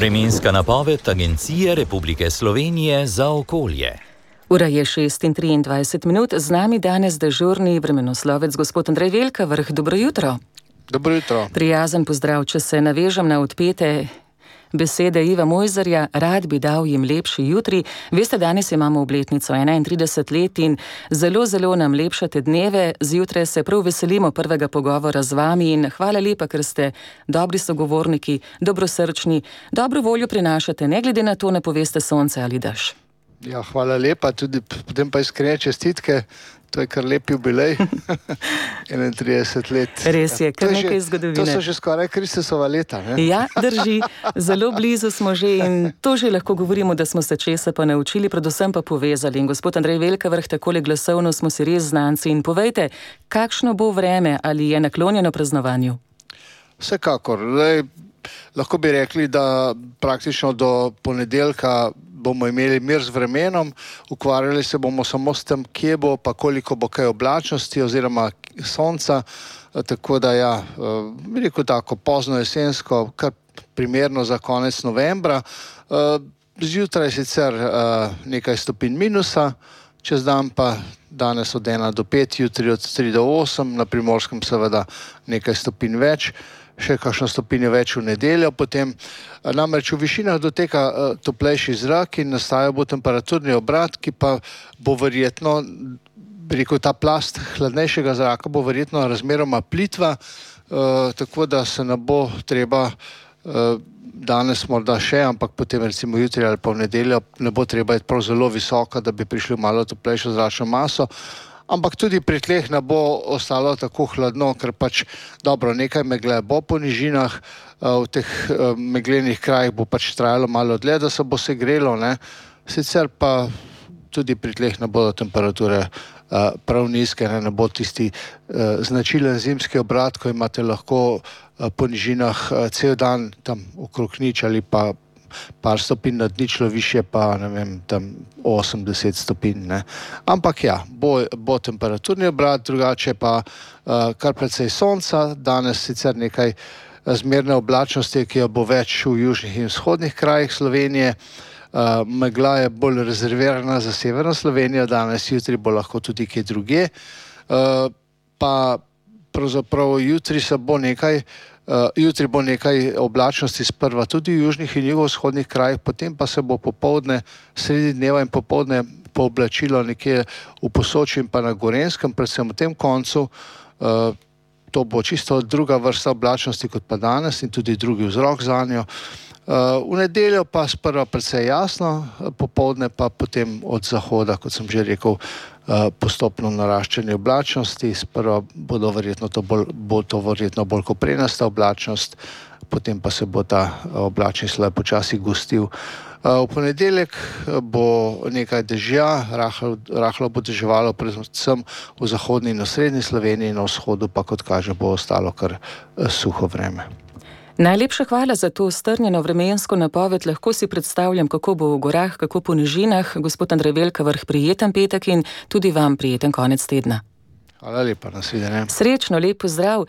Vremenska napoved Agencije Republike Slovenije za okolje. Ura je 6:23, z nami danes dežurni vremenoslovec gospod Andrej Velkavrh. Dobro jutro. Dobro jutro. Prijazen pozdrav, če se navežem na odpete besede Iva Mojzerja, rad bi dal jim lepši jutri. Veste, danes imamo obletnico 31 let in zelo nam lepšate dneve. Zjutraj se prav veselimo prvega pogovora z vami in hvala lepa, ker ste dobri sogovorniki, dobrosrčni, dobro voljo prinašate, ne glede na to, ne poveste sonce ali dež. Ja, hvala lepa, tudi potem pa iskrene čestitke. To je kar lep jubilej, 31 let. Res je, kar nekaj zgodovine. To so že skoraj Kristusova leta, ne? Ja, drži, zelo blizu smo že in to že lahko govorimo, da smo se česa pa naučili, predvsem pa povezali. In gospod Andrej Velkavrh, takole glasovno smo si res znanci. In povejte, kakšno bo vreme, ali je naklonjeno praznovanju? Vsekakor. Lahko bi rekli, da praktično do ponedeljka bomo imeli mir z vremenom, ukvarjali se bomo samo s tem, kje bo, pa koliko bo kaj oblačnosti oziroma sonca, tako da ja, veliko tako pozno jesensko, kar primerno za konec novembra. Zjutraj sicer nekaj stopinj minusa, čez dan pa danes od 1 do 5, jutri od 3 do 8, na Primorskem seveda nekaj stopinj več, še kakšno stopinjo več v nedeljo, potem namreč v višinah doteka toplejši zrak in nastaja bo temperaturni obrat, ki pa bo verjetno, bi rekel, ta plast hladnejšega zraka bo verjetno razmeroma plitva, tako da se ne bo treba danes morda še, ampak potem recimo jutri ali pa v nedeljo ne bo treba iti prav zelo visoka, da bi prišli v malo toplejšo zračno maso. Ampak tudi pri tleh ne bo ostalo tako hladno, ker pač dobro, nekaj megle bo po nižinah, v teh meglenih krajih bo pač trajalo malo dlje, da se bo segrelo, ne. Sicer pa tudi pri tleh ne bodo temperature prav nizke, ne bo tisti značilen zimski obrat, ko imate lahko po nižinah cel dan tam okrog nič ali pa par stopinj nad ničlo, više pa, ne vem, tam 80 stopinj, ne. Ampak ja, bo temperaturni obrat, drugače pa kar precej sonca, danes sicer nekaj zmerne oblačnosti, ki jo bo več v južnih in vzhodnih krajih Slovenije. Megla je bolj rezervirana za severno Slovenijo, danes, jutri bo lahko tudi kje drugje. Pa pravzaprav jutri bo nekaj oblačnosti sprva tudi v južnih in jugovzhodnih krajih, potem pa se bo popoldne, sredi dneva in popoldne pooblačilo nekje v Posočju in pa na Gorenjskem, predvsem v tem koncu. To bo čisto druga vrsta oblačnosti kot pa danes in tudi drugi vzrok zanjo. V nedeljo pa sprva precej jasno, popoldne pa potem od zahoda, kot sem že rekel, postopno naraščanje oblačnosti. Sprva bo to verjetno bolj koprenasta oblačnost, potem pa se bo ta oblačni sloj počasi gostil. V ponedeljek bo nekaj dežja, rahlo bo deževalo predvsem v zahodni in osrednji Sloveniji, na vzhodu pa, kot kaže, bo ostalo kar suho vreme. Najlepša hvala za to strnjeno vremensko napoved. Lahko si predstavljam, kako bo v gorah, kako po nižinah. Gospod Andrej Velkavrh, prijeten petek in tudi vam prijeten konec tedna. Hvala lepa, nasvidenje. Srečno, lep pozdrav.